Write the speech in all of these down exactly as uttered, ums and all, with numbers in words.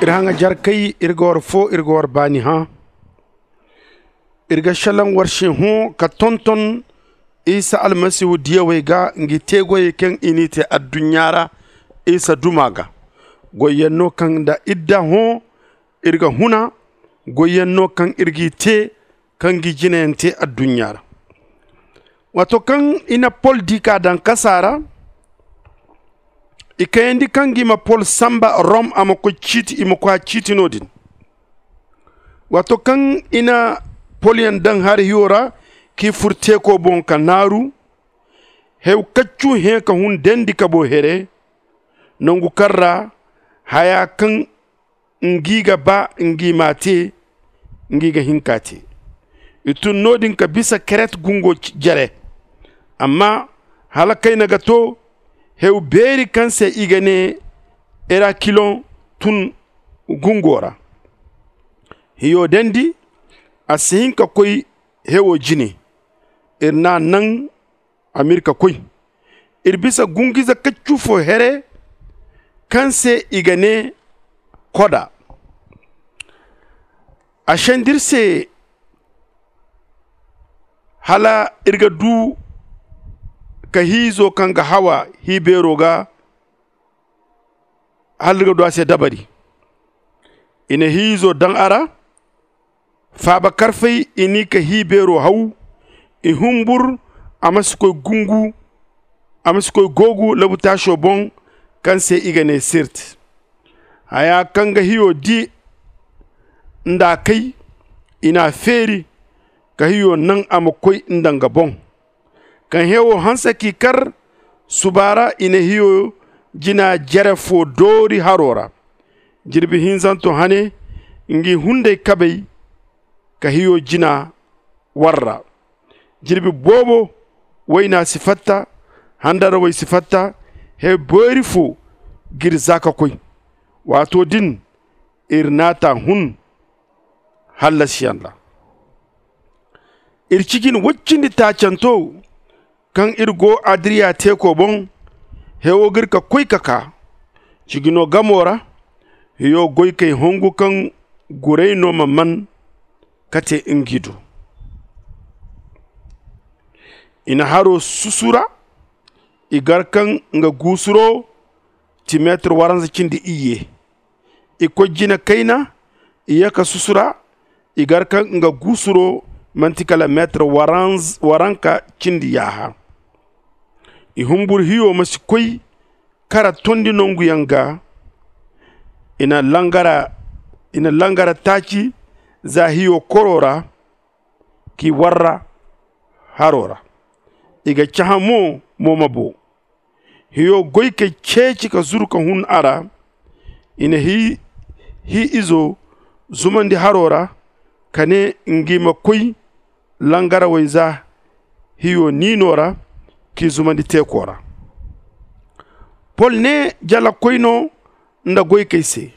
Iri haŋajarkey, iri ga war fo, iri ga war baani hã. Iri ga šelaŋ war se hõ ka tonton isa almasihu diyawey ga ngi teegoyey kaŋ i n'i te adduɲɲa ra isa duma ga. Goyyaŋ no kaŋ nda iri da hõ iri ga huna. Goyyaŋ no kaŋ iri g'i te kaŋ ngi jinayaŋ te adduɲɲa ra. Waato kaŋ i na pol di ka daŋ kasa ra, i kayandi kaŋ ngi ma pol sanba rom a ma koy ciiti i ma koy a ciiti no-din. Waato kaŋ i na polyaŋ daŋ hari hiyo ra k'i fur teeko boŋ ka naaru, hew kaccu hẽ ka hun dendi ka boo here, nangu kaŋ ra haya kaŋ ngi ga ba ngi m'a te, ngi ga hin k'a te. I tun no-din ka bisa keret gungo jere. Amma hala kayna ga to, hew beeri kaŋ se i ga ne erakiloŋ tun gungo ra. Hiyo dendi a si hin ka koy hewo jine. Iri n'a naŋ a m'iri ka koy. Iri bisa gungu-ize kaccu fo here kaŋ se i ga ne koda. A send'iri se hala iri ga du ka hi-izo kaŋ ga hawa hi-beero ga hala iri ga du a se dabari. I na hi-izo daŋ a ra. Faaba karfay i n'i ka hi-beero haw. I humbur a ma si koy gungu a ma si koy googu labutaaso boŋ kaŋ se i ga ne sirt. Haya kaŋ ga hiyo di nd'a kay i n'a feeri ka hiyo naŋ a ma koy nda nga boŋ. Kaŋ hewo hanse k'i kar suba ra i na hiyo jina jere fo doori haro ra. Jirbi hinzanto hane ngi hunday kabay ka hiyo jina warra. Jirbi boobo wayna si fatta handarawey si fatta. Hew boori fo g'iri za ka koy. Waato din iri naata hun hallasiyaŋ ra. Iri cijin woy cindi taacanto kaŋ iri go adiriya teeko boŋ hewo g'iri ka koy ka kaa. Cijino gamo ra hiyo goykey hongu kaŋ guray no ma man ka te ngi do. I na haro susu ra. I gar kaŋ nga guusuro ti meetir waranza cindi iyye. I koy jina kayna i ye ka susu ra. I gar kaŋ nga guusuro manti kala meetir waranka cindi yaaha. I humbur hiyo ma si koy kara tondi nanguyaŋ ga. I na langara i na langara taaci za hiyo koro ra k'i warra haro ra. I ga cahã mo mo ma boo. Hiyo goy kay ceeci ka zuru ka hun a ra. I na hi izo zumandi haro ra ka ne ngi ma koy langarawey za hiyo niino ra k'i zumandi teeko ra. Pol ne jalakoy no nda goy kay se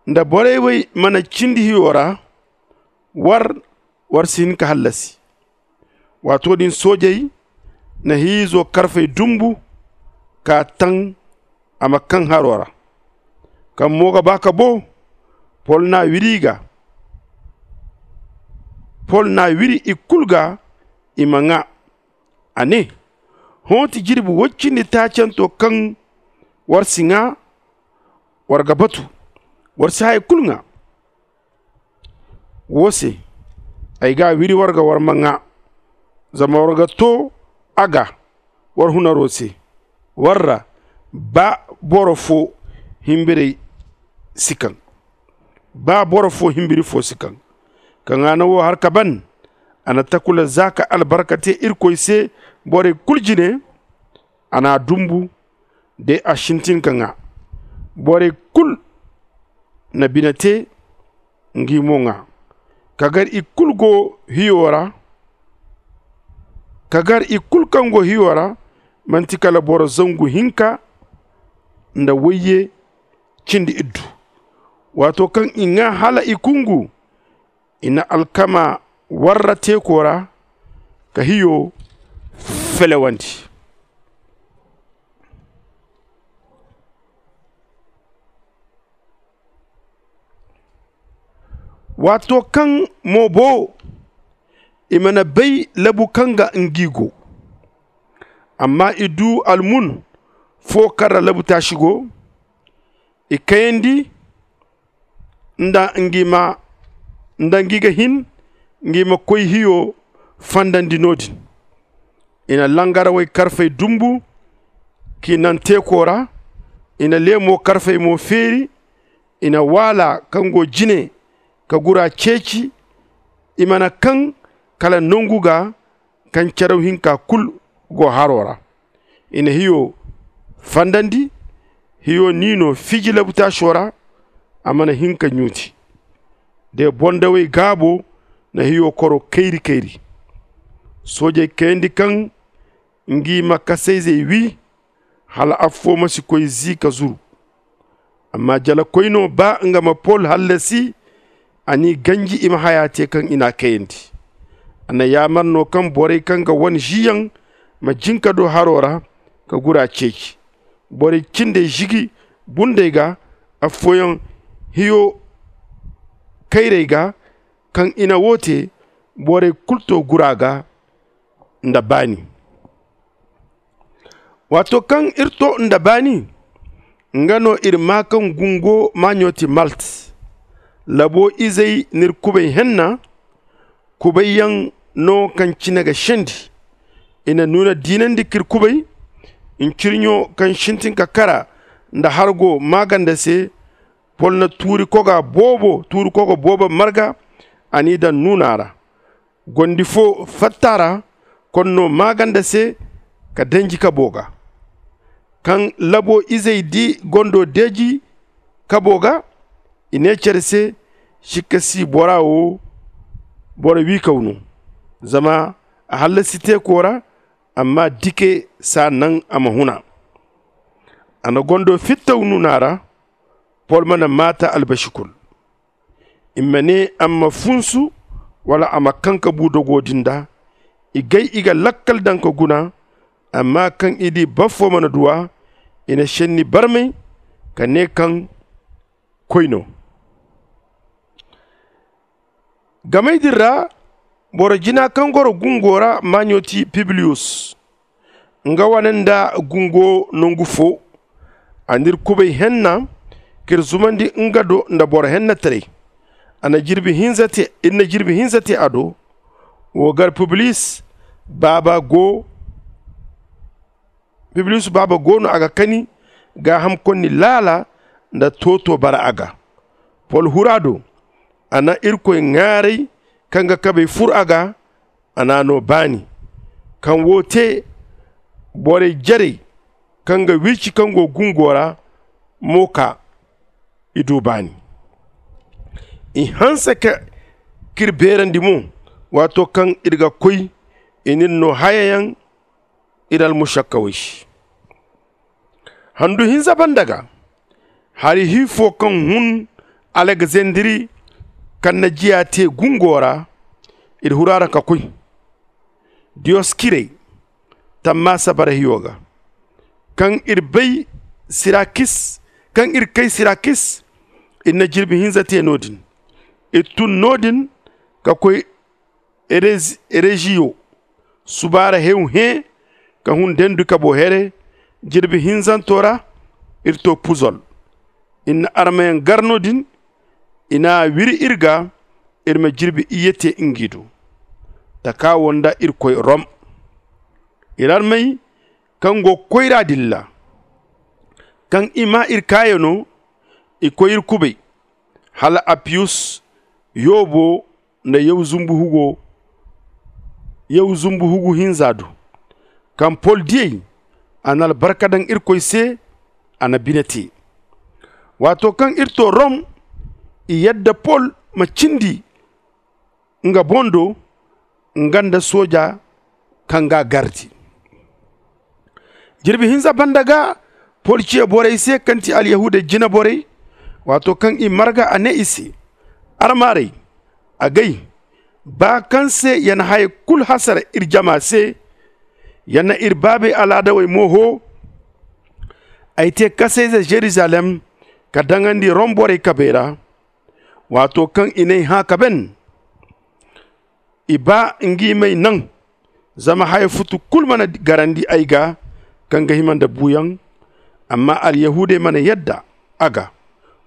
nda borey wey mana cindi hiyo ra. War war si hin ka hallasi. Waato din soojey na hiizo karfey dumbu ka taŋ a ma kaŋ haro ra. Kaŋ mo ga ba ka bo pol n'a wiri i ga. Pol n'a wiri i kulu ga i ma ŋaa. A ne, hõ ti jirbi woy cindi taacanto kaŋ war si ŋaa. War ga batu war si haya kulu ŋaa. Wo se ay g'a wiri war ga war ma ŋaa. Zama war ga to a ga war hunaro se. War ra ba boro fo himbirey si kaŋ ba boro fo himbiri fo si kaŋ. Ka ŋaana wo har ka ban. A na takula za ka albarka te irkoy se borey kulu jine. A n'a dumbu day a sintin ka ŋaa. Borey kulu na bine te ngi mo ŋaa. Ka gar i kulu go hiyo ra ka gar i kulu kaŋ go hiyo ra. Manti kala boro zangu hinka nda wayye cindi iddu. Waato kaŋ i ŋaa hala i kungu i na alkama warra teeko ra ka hiyo felewandi. Waato kaŋ mo bo i mana bay labu kaŋ ga ngi go, amma i du almun fo kaŋ ra labu taasi go. I kayandi nda ngi ma nda ngi ga hin ngi ma koy hiyo fandandi no-din. I na langarawey karfey dumbu k'i naŋ teeko ra. I na leemo karfey mo feeri. I na waala kaŋ go jine ka gura ceeci. I mana kaŋ kala nangu ga kaŋ caraw hinka kulu go haro ra. I na hiyo fandandi. Hiyo n'i no fiji labutaaso ra. A mana hin ka ɲuuti. De bondawey gaabo na hiyo koro kayri-kayri. Soojey kayandi kaŋ ngi ma kasayzey wi hala affo ma si koy zi ka zuru. Amma jalakoy no ba nga ma pol hallasi. A n'i ganji i ma haya te kaŋ i n'a kayandi. A na yaamar no kaŋ borey kaŋ ga wane ziyaŋ ma jin ka du haro ra ka gura ceeci. Borey cindey zigi bundey ga. Affooyaŋ hiyo kayrey ga kaŋ i na wo te. Borey kulu to gura ga nda baani. Waato kaŋ iri to nda baani, nga no iri maa kaŋ gungo maaɲo ti malt. Labo izey n'iri kubay henna. Kubayyaŋ no kaŋ cine ga sendi. I na nuuna diinandi k'iri kubay. Ncirɲo kaŋ sintin ka kara nda hargo maaganda se. Pol na tuuri koga boobo tuuri koga boobo marga. A n'i daŋ nuuna ra. Gondi fo fatta ra konno maaganda se ka danji kabo ga. Kaŋ labo izey di gondo deeji kabo ga, i ne care se, sikka si bora wo boro wiikaw no. Zama a hallasi teeko ra. Amma dike s'a naŋ a ma huna. A na gondo fittaw nuuna ra. Pol mana maata albasi kul. I ma ne a ma funsu wala a ma kaŋ ka bu dogo din da. I gay i ga lakkal daŋ ka guna. Amma kaŋ i di baffo mana duw'a, i na senni barmay ka ne kaŋ koy no. Gamey din ra boro jina kaŋ goro gungo ra maaɲo ti pibliyus. Nga wane nda gungo nangu fo. A n'iri kubay henna k'iri zumandi nga do nda boro hennataray. A na jirbi hinza te iri na jirbi hinza te a do. Wo gar pibliyus baaba go. Pibliyus baaba go no a ga kani gaaham konni laala nda tooto bara a ga. Pol hura do. A na irkoy ŋaaray kaŋ ga kabey fur a ga. A n'a no baani. Kaŋ wo te borey jarey kaŋ ga wiici kaŋ go gungo ra mo kaa. I du baani. I hanse ka k'iri beerandi mo. Waato kaŋ iri ga koy i n'iri no hayayaŋ iri almusakkawey se. Handu hinza banda ga hari hi fo kaŋ hun alagzandiri kaŋ na jiya te gungo ra. Iri hura ra ka koy diyoskirey tammaasa bara hiyo ga. Kaŋ iri bay sirakis kaŋ iri kay sirakis. Iri na jirbi hinza te no-din. Iri tun no-din ka koy ereziyo. Subaara hew hẽ ka hun dendu kabo here. Jirbi hinzanto ra iri to puzol. Iri na armayaŋ gar no-din. I n'a wiri iri ga iri ma jirbi iyye te ngi do. Taka wo nda iri koy rom. Iri armey kaŋ go koyra din ra kaŋ i maa iri kaayano. I koy iri kubay hala apiyus yoobo nda yaw zumbu hugu hinza du. Kaŋ pol diyey a na albarka daŋ irkoy se. A na bine te. Waato kaŋ iri to rom i yadda pol ma cindi nga boŋ do nga nda sooja kaŋ g'a gardi. Jirbi hinza banda ga pol ciya borey se kaŋ ti alyahuudey jina borey. Waato kaŋ i marga a ne i se, armaarey, agay, baa kaŋ se ya na haya kulu hasara iri jama se, ya na iri baabey alaadawey mo hoo. Ay te kasayze zerizalem ka daŋandi rom borey kabey ra. Waato kaŋ i n'ay hã ka ben, i baa ngi m'ay naŋ. Zama haya futu kul mana garandi ay gaa kaŋ ga hima nda buuyaŋ. Amma alyahuudey mana yadda a ga.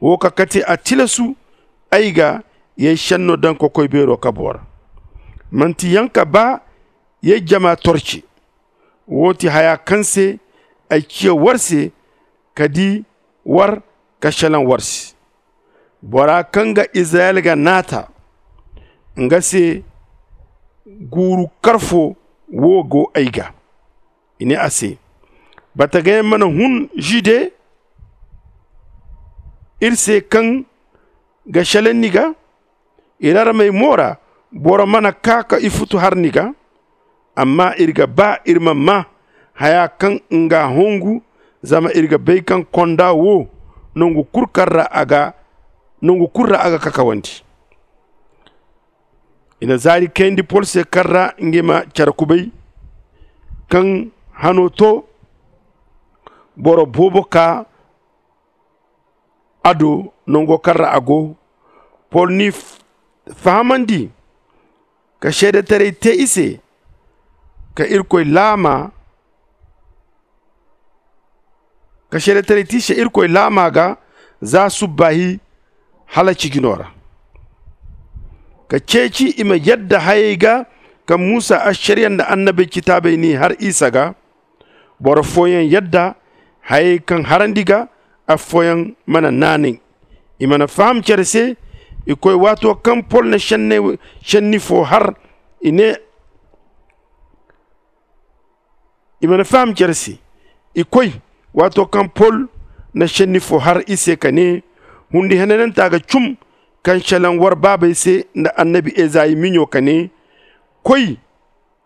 Woo ka kate a tilasu ay ga y'ay šenno daŋ kokoy beero kaboo ra. Man'ti yaŋ ka baa y'ay jama torce. Woo ti haya kaŋ se ay ciya war se ka di war ka šelaŋ war se. Bora kaŋ ga izirayel ga naata nga se guuru karfo woo go ay ga. I nee a se, batagayaŋ mana hun žude ir se kaŋ ga šelaŋ ni ga? Irarmey mo ra boro mana kaa ka ifutu har ni ga. Amma ir ga baa ir ma maa haya kaŋ nga hongu. Zama ir ga bay kaŋ konda woo nongu kul kaŋ ra a ga nongu kul ra a ga kakawandi. I na zaari kayandi pol se kaŋ ra ngi ma care kubay kaŋ hano to. Boro boobo kaa a do nango kaŋ ra a go. Pol n'i fahamandi ka seedetaray te i se ka irkoy laama ka seedetaray te i se irkoy laama ga za subbaahi hala cijino ra. Ka ceeci i ma yadda hayey ga kaŋ musa ašariya nda annabey citaabey n'i har isa ga. Boro fooyaŋ yadda hayey kaŋ harandi ga. Affooyaŋ mana naanay. I mana faham care se. I koy waato kaŋ pol na šenni fo har i ne i mana faham care se. I koy waato kaŋ pol na šenni fo har i se ka ne, hundi henananta ga cum kaŋ šelaŋ war baabey se nda annabi ezayi miɲo ka ne, koy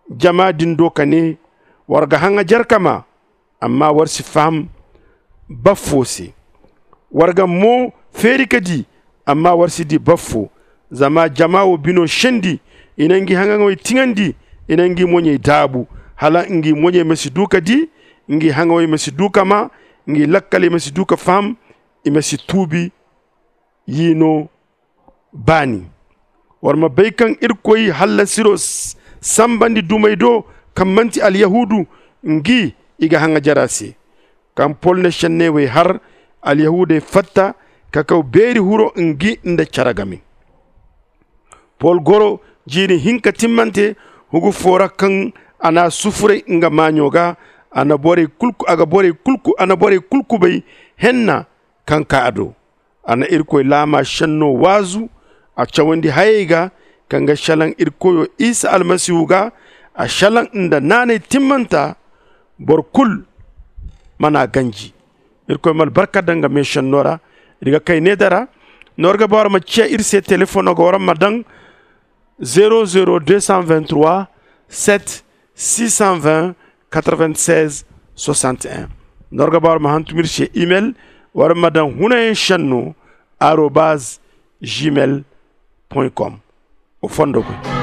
jama din do ka ne, war ga haŋajer ka maa. Amma war si faham baffo se. War ga mo feeri ka di, amma war si di baffo. Zama jama wo bino sendi, i na ngi haŋaŋawey tiŋandi. I na ngi moɲey daabu hala ngi moɲey ma si du ka di, ngi haŋawey ma si du ka maa, ngi lakkaley ma si du ka faham, i ma si tuubi. Yiino baani. War ma bay kaŋ irkoy hallasiro sambandi dumey do kaŋ manti alyahuudu, ngi i ga haŋajer a se. Kaŋ pol na šenney wey har, alyahuudey fatta ka kaw beeri huro ngi nda care game. Pol goro jiiri hinka timmante hugu fo ra kaŋ a n'a sufuray nga maaɲo ga. A na borey kul kubay henna kaŋ kaa a do. A na irkoy laama šenno waazu. A cawandi hayey ga kaŋ ga šelaŋ irkoyo isa almasihu ga. A šelaŋ nda naanay timmanta. Boro kul mana ganji. Irkoy ma albarka daŋ nga meešenno ra. Iri ga kay needa ra. Noor ga ba war ma ciya iri se telefoŋo ga war ma daŋ zero zero deux cent vingt trois sept six cent vingt quatre vingt seize soixante et un. Noor ga ba war ma hantum iri se email. War ma daŋ hunayaŋ šenno arobaz gmail point com. O fondo goy.